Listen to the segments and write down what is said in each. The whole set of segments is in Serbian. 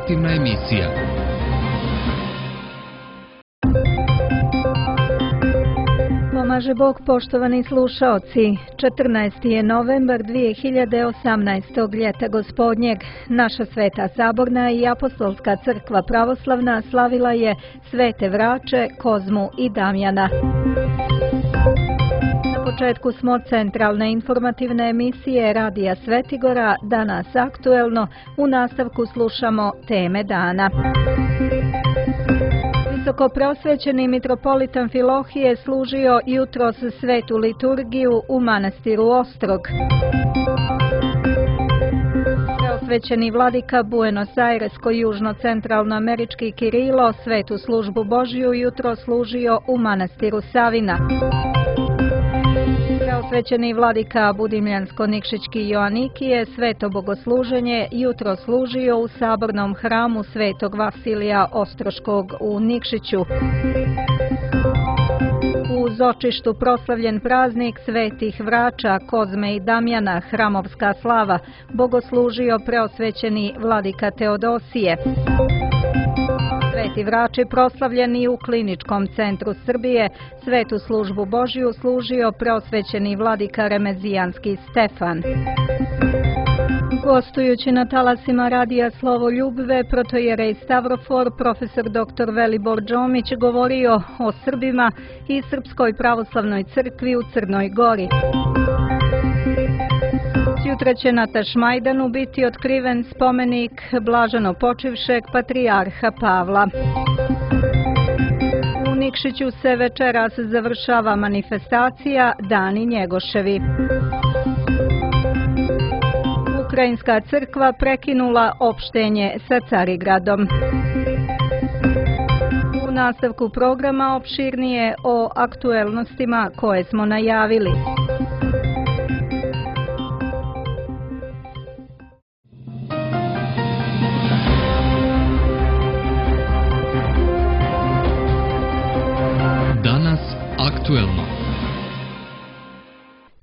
informativna emisija. Pomaže Bog, poštovani slušaoci. 14. je novembar 2018. ljeta gospodnjeg. Naša Sveta Saborna i Apostolska crkva pravoslavna slavila je Svete Vrače, Kozmu i Damjana. Na početku smo centralne informativne emisije Radija Svetigora, danas aktuelno, u nastavku slušamo teme dana. Visoko preosvećeni mitropolitan Filohije služio jutros svetu liturgiju u manastiru Ostrog. Preosvećeni vladika Buenos Airesko-južno-centralnoamerički Kirilo svetu službu Božju jutro služio u manastiru Savina. Preosvećeni vladika Budimljansko-Nikšićki Joanikije sveto bogosluženje jutro služio u sabornom hramu svetog Vasilija Ostroškog u Nikšiću. U Zočištu proslavljen praznik svetih Vrača, Kozme i Damjana, hramovska slava, bogoslužio preosvećeni vladika Teodosije. Sveti Vrači proslavljeni u Kliničkom centru Srbije, svetu službu Božju služio preosvećeni vladika Remezijanski Stefan. Gostujući na talasima Radija Slovo Ljubve, protojerej Stavrofor, profesor dr. Velibor Đomić govorio o Srbima i Srpskoj pravoslavnoj crkvi u Crnoj Gori. Sutra će na Tašmajdanu biti otkriven spomenik blaženo počivšeg patrijarha Pavla. U Nikšiću se večeras završava manifestacija Dani Njegoševi. Ukrajinska crkva prekinula opštenje sa Carigradom. U nastavku programa opširnije o aktuelnostima koje smo najavili. Danas aktuelno.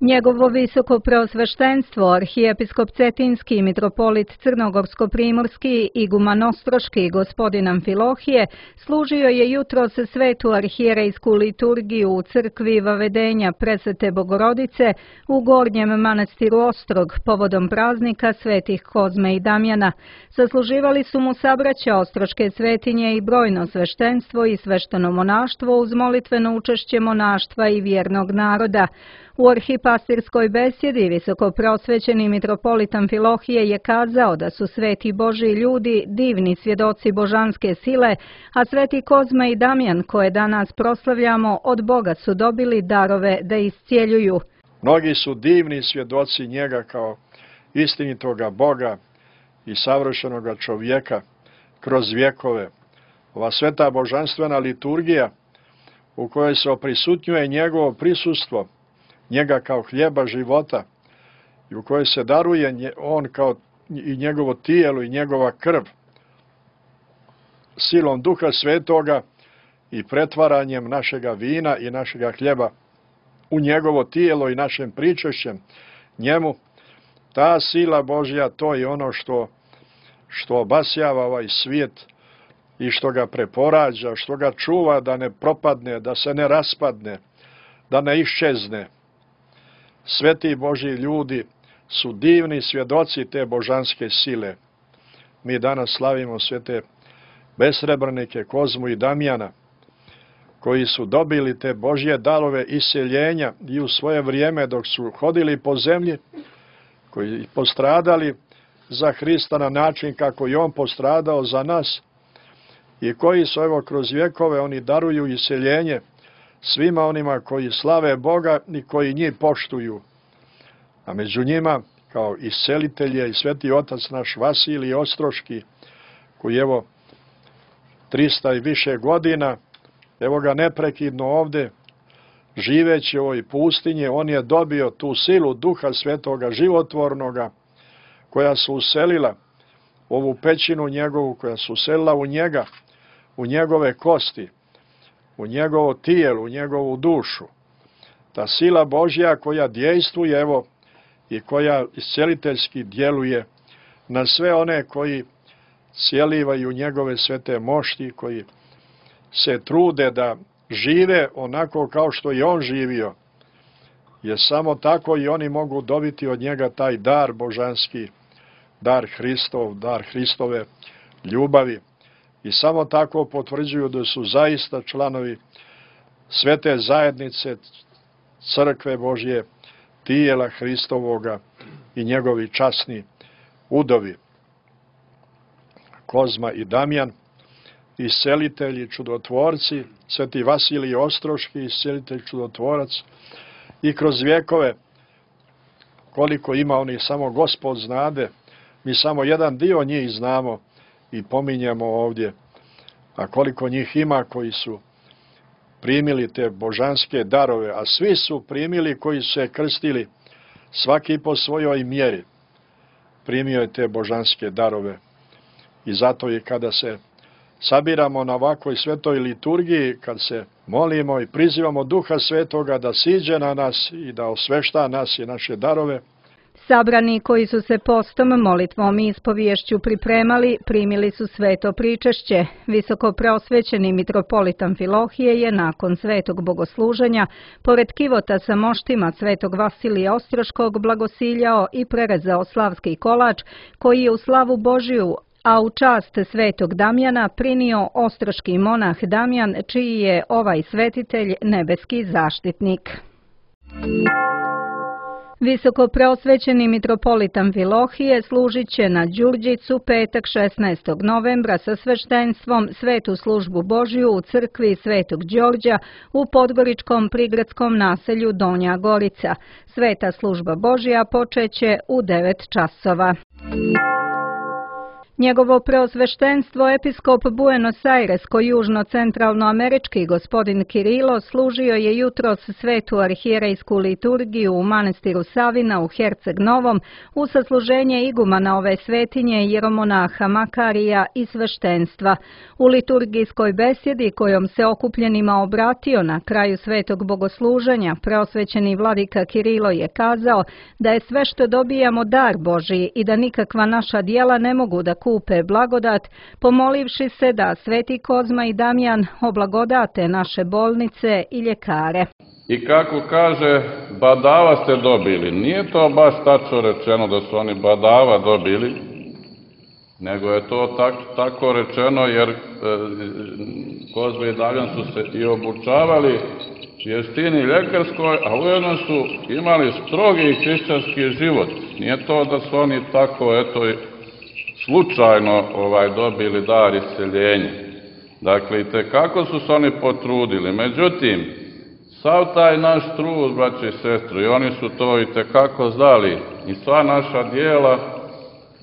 Njegovo visoko preosveštenstvo, arhijepiskop Cetinski, mitropolit Crnogorsko-primorski, iguman Ostroški, gospodin Amfilohije, služio je jutros svetu arhijerejsku liturgiju u crkvi Vavedenja Presvete Bogorodice u Gornjem manastiru Ostrog povodom praznika svetih Kozme i Damjana. Sasluživali su mu sabraća ostroške svetinje i brojno sveštenstvo i svešteno monaštvo uz molitveno učešće monaštva i vjernog naroda. U arhipastirskoj besjedi visoko preosvećeni mitropolit Amfilohije je kazao da su sveti Božji ljudi divni svjedoci božanske sile, a sveti Kozma i Damjan, koje danas proslavljamo, od Boga su dobili darove da iscijeljuju. Mnogi su divni svjedoci njega kao istinitoga Boga i savršenoga čovjeka kroz vjekove. Ova sveta božanstvena liturgija u kojoj se oprisutnjuje njegovo prisustvo, njega kao hljeba života i u kojoj se daruje on kao i njegovo tijelo i njegova krv silom Duha Svetoga i pretvaranjem našega vina i našega hljeba u njegovo tijelo i našem pričešćem njemu. Ta sila Božja, to je ono što obasjava ovaj svijet i što ga preporađa, što ga čuva da ne propadne, da se ne raspadne, da ne iščezne. Sveti Božji ljudi su divni svjedoci te božanske sile. Mi danas slavimo svete besrebrnike Kozmu i Damjana, koji su dobili te Božje darove iseljenja i u svoje vrijeme dok su hodili po zemlji, koji postradali za Hrista na način kako je on postradao za nas i koji su evo kroz vjekove oni daruju iseljenje svima onima koji slave Boga i koji njih poštuju. A među njima, kao iscelitelj je i sveti otac naš Vasilij Ostroški, koji evo 300 i više godina, evo ga neprekidno ovdje, živeći u ovoj pustinji, on je dobio tu silu Duha Svetoga, životvornoga, koja su uselila ovu pećinu njegovu, koja su uselila u njega, u njegove kosti, u njegovo tijelo, u njegovu dušu. Ta sila Božja koja dejstvuje, evo, i koja isceliteljski djeluje na sve one koji cijelivaju njegove svete mošti, koji se trude da žive onako kao što i on živio, jer samo tako i oni mogu dobiti od njega taj dar božanski, dar Hristov, dar Hristove ljubavi, i samo tako potvrđuju da su zaista članovi svete zajednice, crkve Božje, tijela Hristovoga i njegovi časni udovi. Kozma i Damjan, iscelitelji, čudotvorci, sveti Vasilij Ostroški, iscelitelj, čudotvorac, i kroz vjekove, koliko ima onih, samo Gospod znade, mi samo jedan dio njih znamo i pominjemo ovdje, a koliko njih ima koji su primili te božanske darove, a svi su primili koji su se krstili, svaki po svojoj mjeri primio je te božanske darove. I zato i kada se sabiramo na ovakvoj svetoj liturgiji, kad se molimo i prizivamo Duha Svetoga da siđe na nas i da osvešta nas i naše darove, sabrani koji su se postom, molitvom i ispoviješću pripremali, primili su sveto pričešće. Visoko preosvećeni mitropolit Amfilohije je nakon svetog bogosluženja, pored kivota sa moštima svetog Vasilija Ostroškog, blagosiljao i prerezao slavski kolač, koji je u slavu Božiju, a u čast svetog Damjana prinio ostroški monah Damjan, čiji je ovaj svetitelj nebeski zaštitnik. Visoko preosvećeni mitropolit Amfilohije služit će na Đurđicu petak 16. novembra sa sveštenstvom svetu službu Božju u crkvi Svetog Đorđa u podgoričkom prigradskom naselju Donja Gorica. Sveta služba Božja počeće u 9 časova. Njegovo preosveštenstvo episkop Buenos Airesko-južno-centralnoamerički gospodin Kirilo služio je jutros svetu arhijerejsku liturgiju u manastiru Savina u Herceg Novom u sasluženje igumana ove svetinje jeromonaha Makarija i sveštenstva. U liturgijskoj besjedi kojom se okupljenima obratio na kraju svetog bogosluženja, preosvećeni vladika Kirilo je kazao da je sve što dobijamo dar Božji i da nikakva naša djela ne mogu da kupe blagodat, pomolivši se da sveti Kozma i Damjan oblagodate naše bolnice i ljekare. I kako kaže, badava ste dobili. Nije to baš tačno rečeno da su oni badava dobili, nego je to tako rečeno jer Kozma i Damjan su se i obučavali vještini ljekarskoj, a ujedno su imali strogi hrišćanski život. Nije to da su oni tako, slučajno dobili dar isceljenja. Dakle, itekako su se oni potrudili. Međutim, sav taj naš trud, braće i sestre, i oni su to itekako znali, i sva naša djela,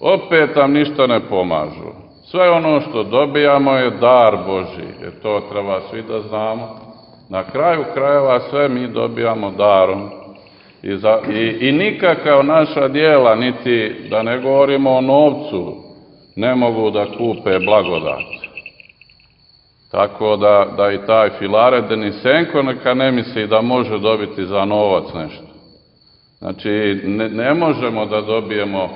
opet nam ništa ne pomažu. Sve ono što dobijamo je dar Božji, jer to treba svi da znamo. Na kraju krajeva sve mi dobijamo darom. I nikakav naša djela, niti da ne govorimo o novcu, ne mogu da kupe blagodat. Tako da i taj Filaret Denisenko neka ne misli da može dobiti za novac nešto. Znači, ne možemo da dobijemo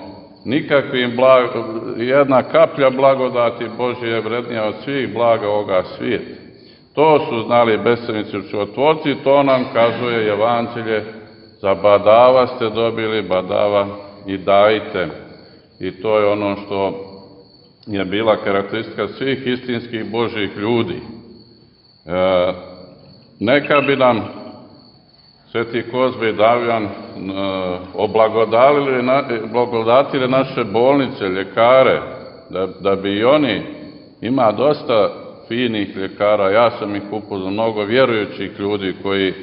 nikakvim jedna kaplja blagodati Božje je vrednija od svih blaga ovoga svijeta. To su znali besenici čudotvorci, to nam kazuje Evanđelje, za badava ste dobili, badava i dajte. I to je ono što je bila karakteristika svih istinskih Božjih ljudi. Neka bi nam sveti Kozma i Damjan oblagodatili naše bolnice, ljekare, da bi i oni, ima dosta finih ljekara, ja sam ih upoznao, mnogo vjerujućih ljudi koji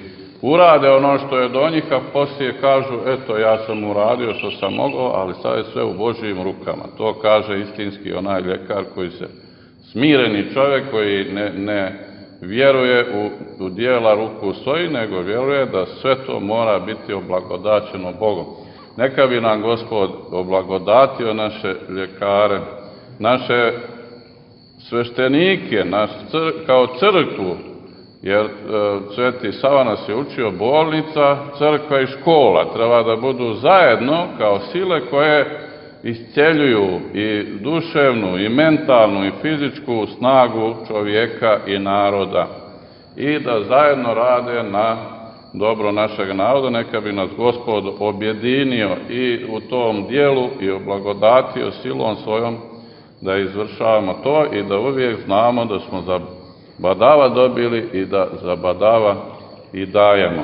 urade ono što je do njih, a poslije kažu, eto, ja sam uradio što sam mogao, ali sad je sve u Božjim rukama. To kaže istinski onaj ljekar koji se, smireni čovjek koji ne vjeruje u djela ruku svoji, nego vjeruje da sve to mora biti oblagodaćeno Bogom. Neka bi nam Gospod oblagodatio naše ljekare, naše sveštenike, kao crkvu, jer Sveti Sava nas je učio, bolnica, crkva i škola treba da budu zajedno kao sile koje isceljuju i duševnu, i mentalnu, i fizičku snagu čovjeka i naroda i da zajedno rade na dobro našeg naroda. Neka bi nas Gospod objedinio i u tom dijelu i oblagodatio silom svojom da izvršavamo to i da uvijek znamo da smo za badava dobili i da za badava i dajemo.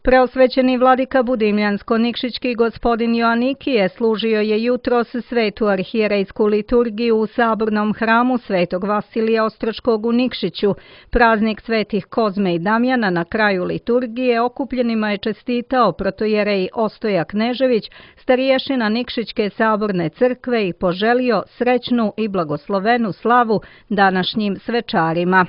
Preosvećeni vladika Budimljansko-Nikšićki gospodin Joanikije služio je jutros svetu arhijerejsku liturgiju u sabornom hramu Svetog Vasilija Ostroškog u Nikšiću. Praznik svetih Kozme i Damjana na kraju liturgije okupljenima je čestitao protojerej Ostoja Knežević, stariješina Nikšićke saborne crkve, i poželio srećnu i blagoslovenu slavu današnjim svečarima.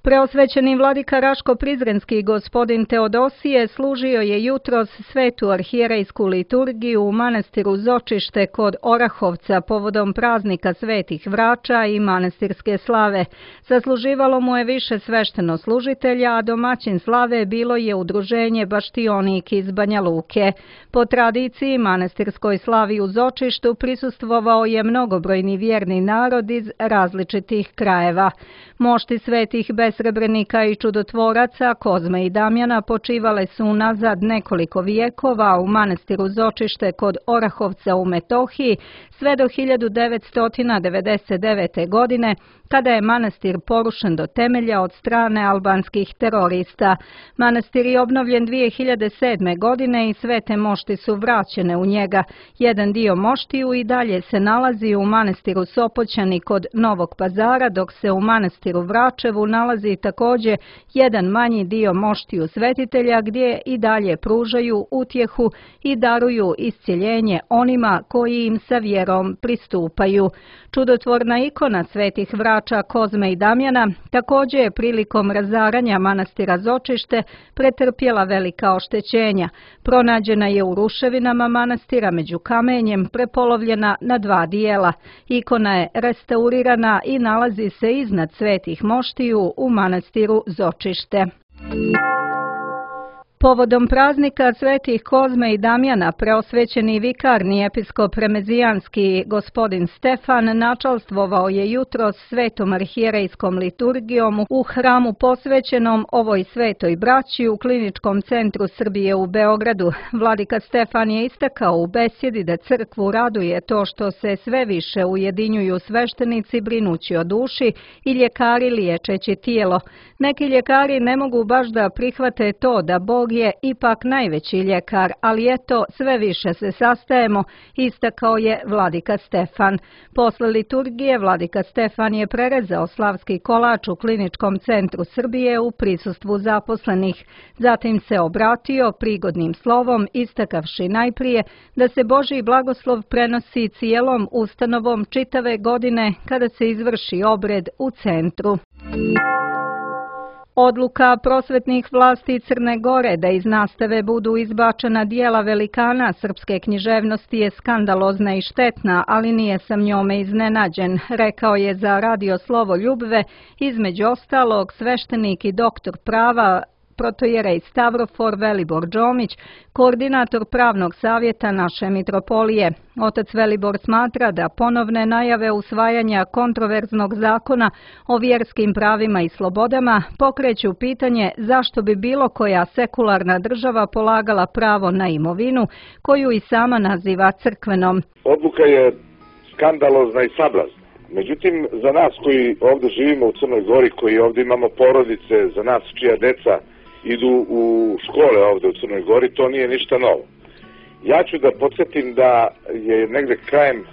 Preosvećeni vladika Raško-Prizrenski gospodin Teodosije služio je jutros svetu arhijerejsku liturgiju u manastiru Zočište kod Orahovca povodom praznika svetih vrača i manastirske slave. Zasluživalo mu je više svešteno-služitelja, a domaćin slave bilo je udruženje Baštionik iz Banja Luke. Po tradiciji manastirskoj slavi u Zočištu prisustvovao je mnogobrojni vjerni narod iz različitih krajeva. Mošti svetih besrebrenika i čudotvoraca Kozme i Damjana počivale su unazad nekoliko vijekova u manastiru Zočište kod Orahovca u Metohiji sve do 1999. godine, kada je manastir porušen do temelja od strane albanskih terorista. Manastir je obnovljen 2007. godine i sve te mošti su vraćene u njega. Jedan dio moštiju i dalje se nalazi u manastiru Sopoćani kod Novog Pazara, dok se u manastiru Vračevu nalazi također jedan manji dio moštiju svetitelja, gdje i dalje pružaju utjehu i daruju iscjeljenje onima koji im sa vjerom pristupaju. Čudotvorna ikona svetih vrača Kozme i Damjana također je prilikom razaranja manastira Zočište pretrpjela velika oštećenja. Pronađena je u ruševinama manastira među kamenjem, prepolovljena na dva dijela. Ikona je restaurirana i nalazi se iznad svetih moštiju u manastiru Zočište. Povodom praznika svetih Kozme i Damjana, preosvećeni vikarni episkop remezijanski gospodin Stefan načalstvovao je jutros svetom arhijerejskom liturgijom u hramu posvećenom ovoj svetoj braći u Kliničkom centru Srbije u Beogradu. Vladika Stefan je istakao u besjedi da crkvu raduje to što se sve više ujedinjuju sveštenici brinući o duši i ljekari liječeći tijelo. Neki ljekari ne mogu baš da prihvate to da Bog je ipak najveći ljekar, ali eto, sve više se sastajemo, istakao je vladika Stefan. Posle liturgije vladika Stefan je prerezao slavski kolač u Kliničkom centru Srbije u prisustvu zaposlenih. Zatim se obratio prigodnim slovom, istakavši najprije da se Božji blagoslov prenosi cijelom ustanovom čitave godine kada se izvrši obred u centru. Odluka prosvetnih vlasti Crne Gore da iz nastave budu izbačena dijela velikana srpske književnosti je skandalozna i štetna, ali nije sam njome iznenađen, rekao je za Radio Slovo Ljubve, između ostalog sveštenik i doktor prava protojerej Stavrofor Velibor Đomić, koordinator pravnog savjeta naše mitropolije. Otac Velibor smatra da ponovne najave usvajanja kontroverznog zakona o vjerskim pravima i slobodama pokreću pitanje zašto bi bilo koja sekularna država polagala pravo na imovinu koju i sama naziva crkvenom. Odluka je skandalozna i sablazna. Međutim, za nas koji ovdje živimo u Crnoj Gori, koji ovdje imamo porodice, za nas čija deca idu u škole ovdje u Crnoj Gori, to nije ništa novo. Ja ću da podsjetim da je negde krajem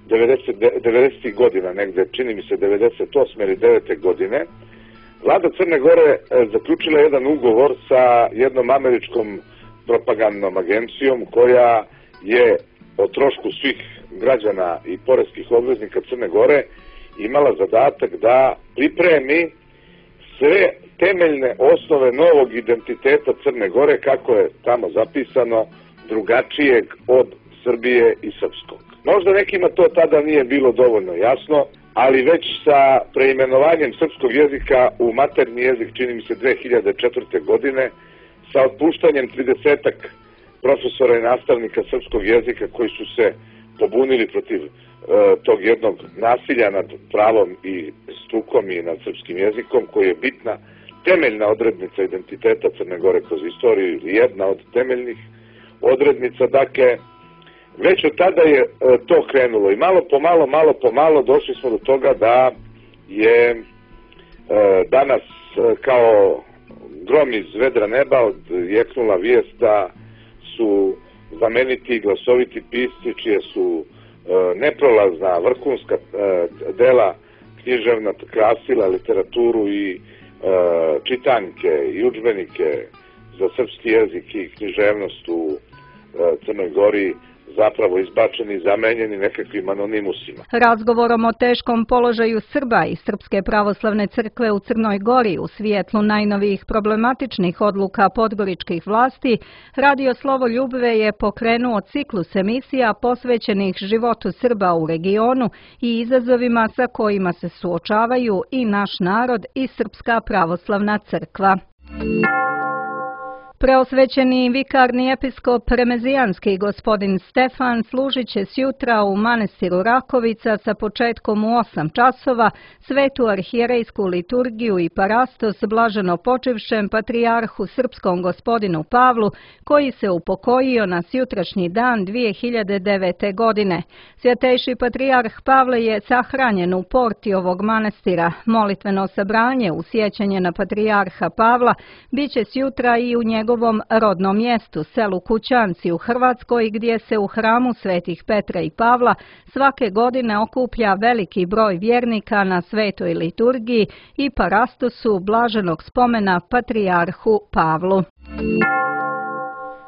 90. godina, negde čini mi se 98. ili 9. godine, vlada Crne Gore zaključila jedan ugovor sa jednom američkom propagandnom agencijom koja je o trošku svih građana i poreskih obveznika Crne Gore imala zadatak da pripremi sve temeljne osnove novog identiteta Crne Gore, kako je tamo zapisano, drugačijeg od Srbije i srpskog. Možda nekima to tada nije bilo dovoljno jasno, ali već sa preimenovanjem srpskog jezika u maternji jezik, čini mi se 2004. godine, sa otpuštanjem 30-ak profesora i nastavnika srpskog jezika koji su se pobunili protiv tog jednog nasilja nad pravom i strukom i nad srpskim jezikom, koji je bitna, temeljna odrednica identiteta Crne Gore kroz istoriju, ili jedna od temeljnih odrednica. Dakle, već od tada je to krenulo i malo po malo došli smo do toga da je danas kao grom iz vedra neba odjeknula vijest da su znameniti i glasoviti pisci, čije su neprolazna, vrhunska dela književna krasila literaturu i čitanke i udžbenike za srpski jezik i književnost u Crnoj Gori zapravo izbačeni i zamenjeni nekakvim anonimusima. Razgovorom o teškom položaju Srba i Srpske pravoslavne crkve u Crnoj Gori u svijetlu najnovijih problematičnih odluka podgoričkih vlasti, Radio Slovoljubve je pokrenuo ciklus emisija posvećenih životu Srba u regionu i izazovima sa kojima se suočavaju i naš narod i Srpska pravoslavna crkva. Preosvećeni vikarni episkop Remezijanski gospodin Stefan služit će sjutra u manastiru Rakovica sa početkom u 8 časova svetu arhijerejsku liturgiju i parastos blaženo počivšem patrijarhu srpskom gospodinu Pavlu, koji se upokojio na sjutrašnji dan 2009. godine. Svjetejši patrijarh Pavle je sahranjen u porti ovog manastira. Molitveno sabranje u sjećanje na patrijarha Pavla biće sjutra i u njegovom rodnom mjestu, selu Kućanci u Hrvatskoj, gdje se u hramu svetih Petra i Pavla svake godine okuplja veliki broj vjernika na svetoj liturgiji i parastosu blaženog spomena patrijarhu Pavlu.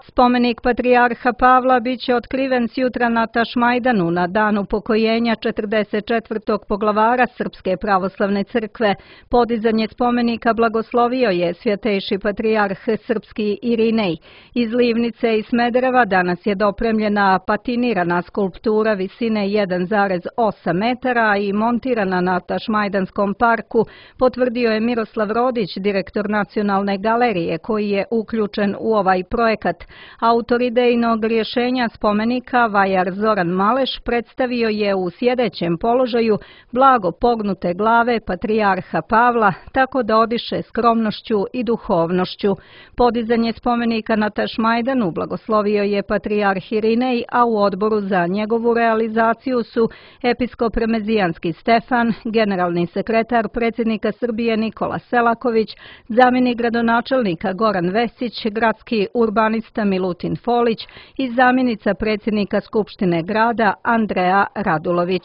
Spomenik patrijarha Pavla biće otkriven sjutra na Tašmajdanu na dan upokojenja 44. poglavara Srpske pravoslavne crkve. Podizanje spomenika blagoslovio je svjetejši patrijarh srpski Irinej. Iz Livnice i Smedereva danas je dopremljena patinirana skulptura visine 1,8 metara i montirana na Tašmajdanskom parku, potvrdio je Miroslav Rodić, direktor Nacionalne galerije, koji je uključen u ovaj projekat. Autor idejnog rješenja spomenika, vajar Zoran Maleš, predstavio je u sjedećem položaju blago pognute glave patrijarha Pavla, tako da odiše skromnošću i duhovnošću. Podizanje spomenika na Tašmajdanu blagoslovio je patrijarh Irinej, a u odboru za njegovu realizaciju su episkop Remezijanski Stefan, generalni sekretar predsjednika Srbije Nikola Selaković, zamjenik gradonačelnika Goran Vesić, gradski urbanista Milutin Folić i zamjenica predsjednika Skupštine grada Andreja Radulović.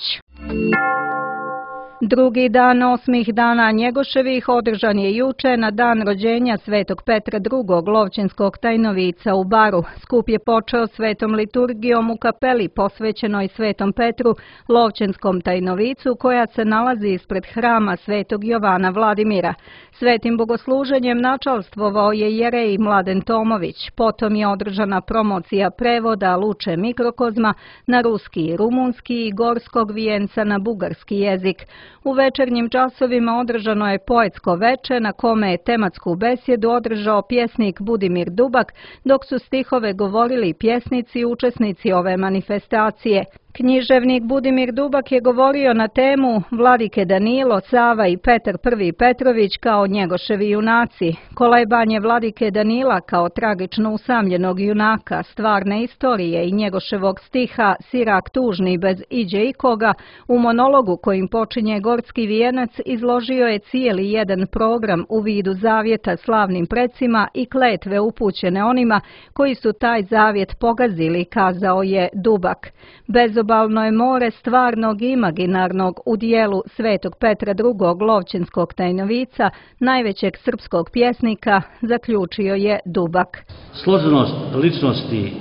Drugi dan 8 dana Njegoševih održan je juče na dan rođenja svetog Petra II. Lovćenskog tajnovica u Baru. Skup je počeo svetom liturgijom u kapeli posvećenoj svetom Petru, Lovćenskom tajnovicu, koja se nalazi ispred hrama svetog Jovana Vladimira. Svetim bogosluženjem načalstvovao je jerej Mladen Tomović. Potom je održana promocija prevoda Luče Mikrokozma na ruski i rumunski i gorskog vijenca na bugarski jezik. U večernjim časovima održano je poetsko veče na kome je tematsku besjedu održao pjesnik Budimir Dubak, dok su stihove govorili pjesnici i učesnici ove manifestacije. Književnik Budimir Dubak je govorio na temu Vladike Danilo, Sava i Petar I. Petrović kao Njegoševi junaci. Kolebanje Vladike Danila kao tragično usamljenog junaka, stvarne istorije i Njegoševog stiha Sirak tužni bez iđe ikoga, u monologu kojim počinje Gorski vijenac izložio je cijeli jedan program u vidu zavjeta slavnim precima i kletve upućene onima koji su taj zavjet pogazili, kazao je Dubak. Bezobalno je more stvarnog i imaginarnog u dijelu svetog Petra II. Lovćenskog tajnovica, najvećeg srpskog pjesnika, zaključio je Dubak. Složenost ličnosti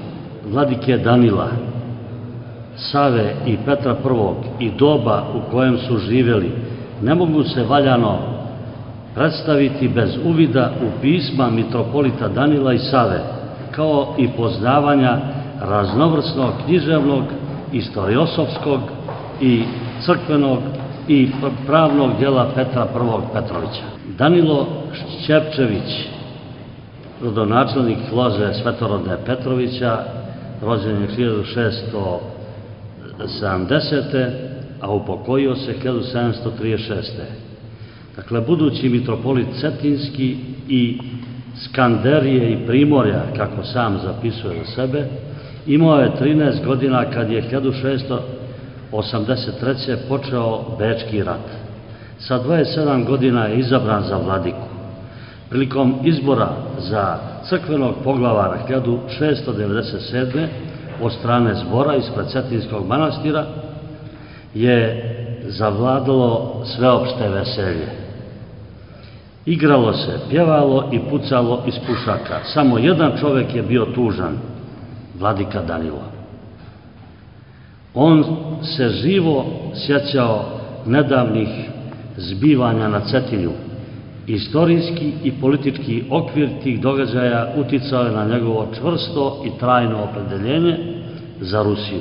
Vladike Danila, Save i Petra I. i doba u kojem su živjeli ne mogu se valjano predstaviti bez uvida u pisma mitropolita Danila i Save, kao i poznavanja raznovrsnog književnog, istoriosofskog i crkvenog i pravnog djela Petra I. Petrovića. Danilo Šćepčević rodonačelnik loze Svetorodne Petrovića, rođen je 1670. a upokojio se 1736. Dakle, budući mitropolit Cetinski i Skanderije i Primorja, kako sam zapisuje za sebe, imao je 13 godina kad je 1683. počeo Bečki rat. Sa 27 godina je izabran za vladiku. Prilikom izbora za crkvenog poglavara 1697. od strane zbora ispred Cetinskog manastira je zavladalo sveopšte veselje. Igralo se, pjevalo i pucalo iz pušaka. Samo jedan čovek je bio tužan, vladika Danilo. On se živo sjećao nedavnih zbivanja na Cetinju. Istorijski i politički okvir tih događaja uticao je na njegovo čvrsto i trajno opredeljenje za Rusiju.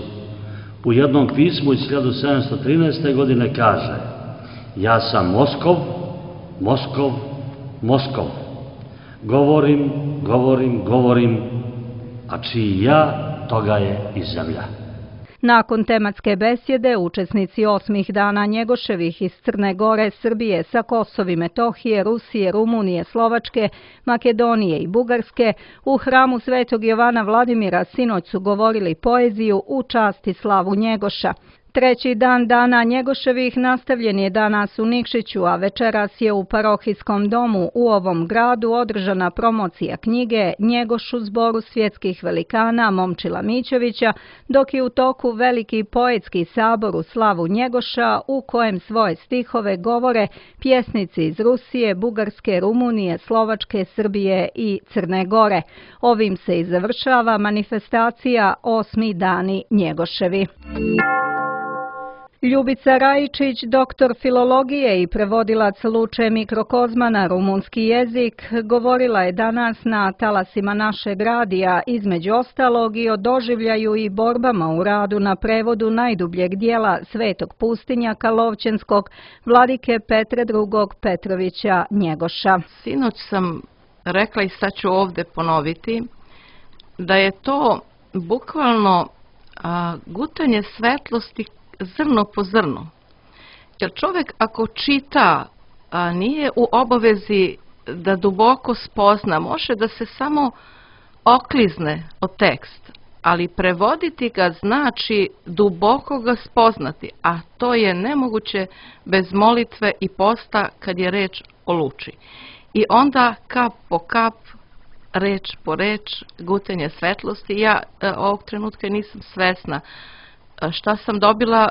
U jednom pismu iz 1713. godine kaže: ja sam Moskov, Moskov, Moskov. Govorim, govorim, govorim, a čiji ja, toga je i zemlja. Nakon tematske besjede, učesnici 8 dana Njegoševih iz Crne Gore, Srbije, sa Kosova i Metohije, Rusije, Rumunije, Slovačke, Makedonije i Bugarske u hramu Svetog Jovana Vladimira sinoć su govorili poeziju u čast i slavu Njegoša. Treći dan dana Njegoševih nastavljen je danas u Nikšiću, a večeras je u parohijskom domu u ovom gradu održana promocija knjige Njegoš u zboru svjetskih velikana Momčila Mićovića, dok je u toku veliki poetski sabor u slavu Njegoša u kojem svoje stihove govore pjesnici iz Rusije, Bugarske, Rumunije, Slovačke, Srbije i Crne Gore. Ovim se i završava manifestacija 8 dani Njegoševi. Ljubica Rajičić, doktor filologije i prevodilac Luče Mikrokozma na rumunski jezik, govorila je danas na talasima našeg radija, između ostalog i o doživljaju i borbama u radu na prevodu najdubljeg dijela Svetog pustinjaka Lovćenskog, vladike Petra II. Petrovića Njegoša. Sinoć sam rekla i sad ću ovde ponoviti da je to bukvalno gutanje svetlosti zrno po zrno. Jer čovjek ako čita, nije u obavezi da duboko spozna, može da se samo oklizne o tekst, ali prevoditi ga znači duboko ga spoznati, a to je nemoguće bez molitve i posta kad je reč o Luči. I onda kap po kap, reč po reč, gutanje svetlosti. Ja ovog trenutka nisam svesna šta sam dobila,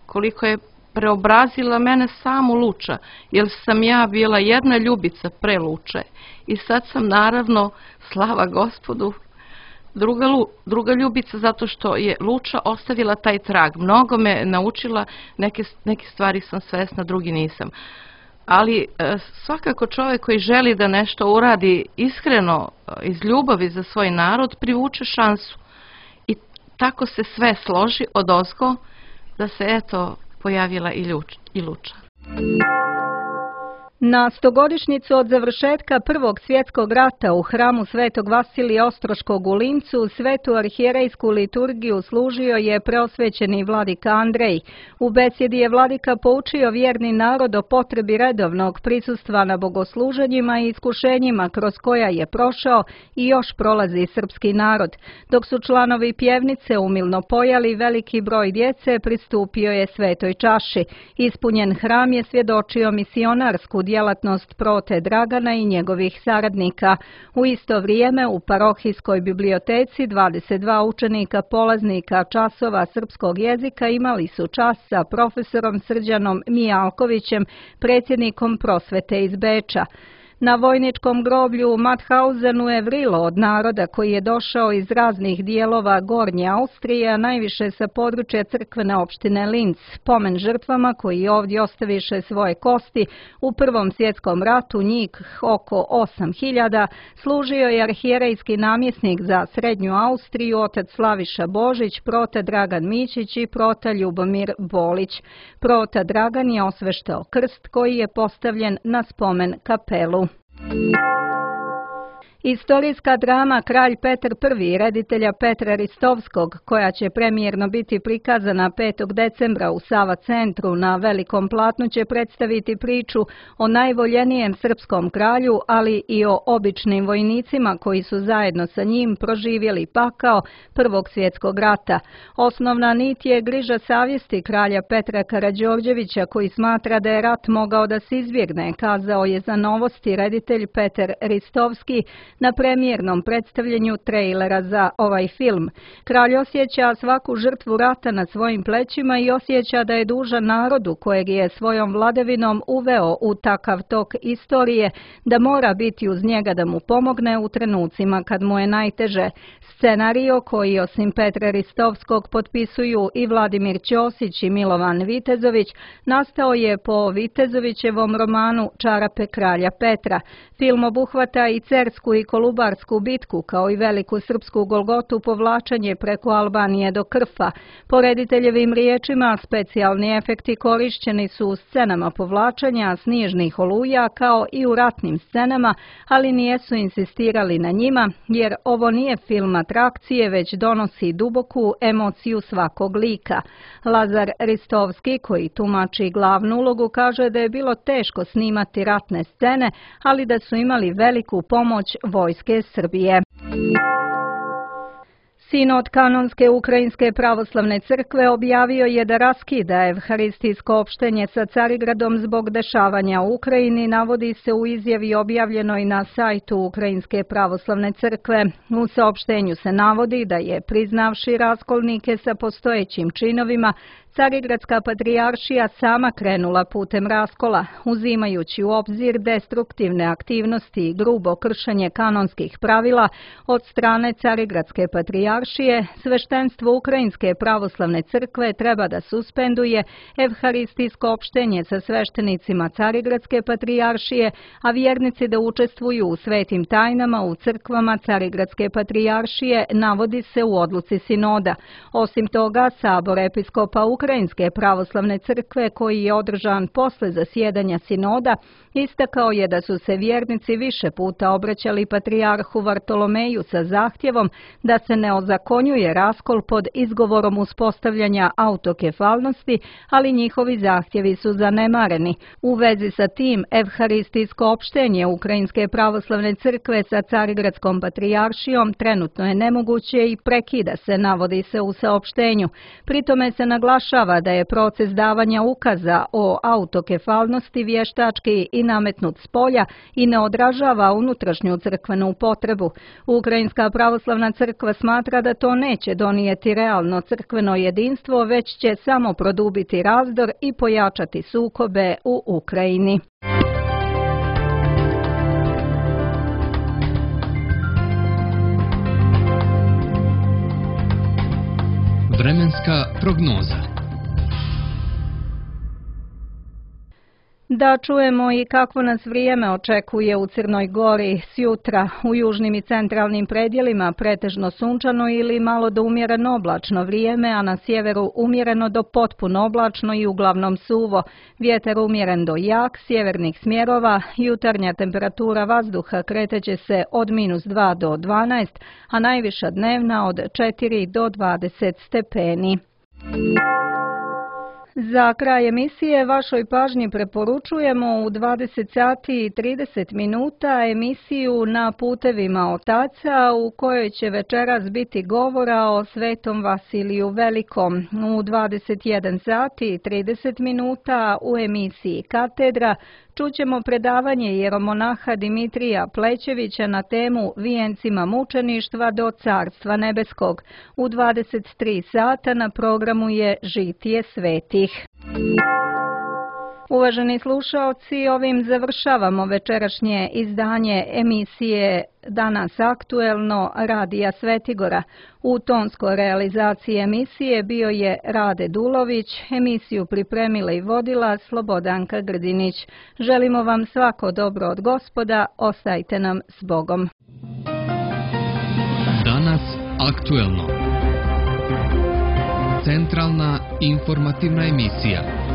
koliko je preobrazila mene samu Luča, jer sam ja bila jedna Ljubica pre Luče i sad sam naravno, slava Gospodu, druga Ljubica, zato što je Luča ostavila taj trag. Mnogo me naučila, neke stvari sam svesna, drugi nisam. Ali svakako čovjek koji želi da nešto uradi iskreno, iz ljubavi za svoj narod, privuče šansu. Tako se sve složi odozgo da se eto pojavila i Luča. Na 100-godišnjicu od završetka Prvog svjetskog rata u hramu Svetog Vasilija Ostroškog u Lincu svetu arhijerejsku liturgiju služio je preosvećeni vladika Andrej. U besjedi je vladika poučio vjerni narod o potrebi redovnog prisustva na bogosluženjima i iskušenjima kroz koja je prošao i još prolazi srpski narod. Dok su članovi pjevnice umilno pojali, veliki broj djece pristupio je svetoj čaši. Ispunjen hram je svjedočio misionarsku djelatnost prote Dragana i njegovih saradnika. U isto vrijeme u parohijskoj biblioteci 22 učenika polaznika časova srpskog jezika imali su čas sa profesorom Srđanom Mijalkovićem, predsjednikom prosvete iz Beča. Na vojničkom groblju u Mathausenu je vrilo od naroda koji je došao iz raznih dijelova Gornje Austrije, a najviše sa područja crkvene opštine Linz. Pomen žrtvama koji ovdje ostaviše svoje kosti u Prvom svjetskom ratu, njih oko 8.000, služio je arhijerejski namjesnik za Srednju Austriju, otac Slaviša Božić, prota Dragan Mićić i prota Ljubomir Bolić. Prota Dragan je osveštao krst koji je postavljen na spomen kapelu. Istorijska drama Kralj Petar I reditelja Petra Ristovskog, koja će premijerno biti prikazana 5. decembra u Sava centru na velikom platnu, će predstaviti priču o najvoljenijem srpskom kralju, ali i o običnim vojnicima koji su zajedno sa njim proživjeli pakao Prvog svjetskog rata. Osnovna nit je griža savjesti kralja Petra Karađorđevića, koji smatra da je rat mogao da se izbjegne, kazao je za Novosti reditelj Petar Ristovski na premijernom predstavljanju trejlera za ovaj film. Kralj osjeća svaku žrtvu rata na svojim plećima i osjeća da je dužan narodu kojeg je svojom vladavinom uveo u takav tok istorije, da mora biti uz njega da mu pomogne u trenucima kad mu je najteže. Scenario, koji osim Petra Ristovskog potpisuju i Vladimir Ćosić i Milovan Vitezović, nastao je po Vitezovićevom romanu Čarape kralja Petra. Film obuhvata i Cersku i Kolubarsku bitku, kao i veliku srpsku golgotu povlačenje preko Albanije do Krfa. Po rediteljevim riječima, specijalni efekti korišćeni su u scenama povlačenja snježnih oluja, kao i u ratnim scenama, ali nijesu insistirali na njima, jer ovo nije film atrakcije, već donosi duboku emociju svakog lika. Lazar Ristovski, koji tumači glavnu ulogu, kaže da je bilo teško snimati ratne scene, ali da su imali veliku pomoć vojske Srbije. Sinod Kanonske Ukrajinske pravoslavne crkve objavio je da raskida evharistijsko opštenje sa Carigradom zbog dešavanja u Ukrajini, navodi se u izjavi objavljenoj na sajtu Ukrajinske pravoslavne crkve. U saopštenju se navodi da je, priznavši raskolnike sa postojećim činovima, Carigradska patrijaršija sama krenula putem raskola, uzimajući u obzir destruktivne aktivnosti i grubo kršenje kanonskih pravila od strane Carigradske patrijaršije. Sveštenstvo Ukrajinske pravoslavne crkve treba da suspenduje evharistijsko opštenje sa sveštenicima Carigradske patrijaršije, a vjernici da učestvuju u svetim tajnama u crkvama Carigradske patrijaršije, navodi se u odluci sinoda. Osim toga, Sabor episkopa Ukrajinske pravoslavne crkve, koji je održan posle zasjedanja sinoda, istakao je da su se vjernici više puta obraćali patrijarhu Vartolomeju sa zahtjevom da se ne ozakonjuje raskol pod izgovorom uspostavljanja autokefalnosti, ali njihovi zahtjevi su zanemareni. U vezi sa tim, evharistijsko opštenje Ukrajinske pravoslavne crkve sa Carigradskom patrijaršijom trenutno je nemoguće i prekida se, navodi se u saopštenju. Pritome se naglašava da je proces davanja ukaza o autokefalnosti vještački i nametnut spolja i ne odražava unutrašnju crkvenu potrebu. Ukrajinska pravoslavna crkva smatra da to neće donijeti realno crkveno jedinstvo, već će samo produbiti razdor i pojačati sukobe u Ukrajini. Vremenska prognoza. Da čujemo i kakvo nas vrijeme očekuje u Crnoj Gori sjutra. U južnim i centralnim predjelima pretežno sunčano ili malo do umjereno oblačno vrijeme, a na sjeveru umjereno do potpuno oblačno i uglavnom suvo. Vjetar umjeren do jak, sjevernih smjerova, jutarnja temperatura vazduha kreteće se od -2 do 12, a najviša dnevna od 4 do 20 stepeni. Za kraj emisije vašoj pažnji preporučujemo u 20 sati i 30 minuta emisiju Na putevima otaca, u kojoj će večeras biti govora o Svetom Vasiliju Velikom. U 21 sati i 30 minuta u emisiji Katedra čućemo predavanje jeromonaha Dimitrija Plećevića na temu Vijencima mučeništva do Carstva nebeskog. U 23 sata na programu je Žitije svetih. Uvaženi slušaoci, ovim završavamo večerašnje izdanje emisije Danas aktuelno Radija Svetigora. U tonskoj realizaciji emisije bio je Rade Dulović, emisiju pripremila i vodila Slobodanka Grdinić. Želimo vam svako dobro od Gospoda, ostajte nam s Bogom. Danas aktuelno. Centralna informativna emisija.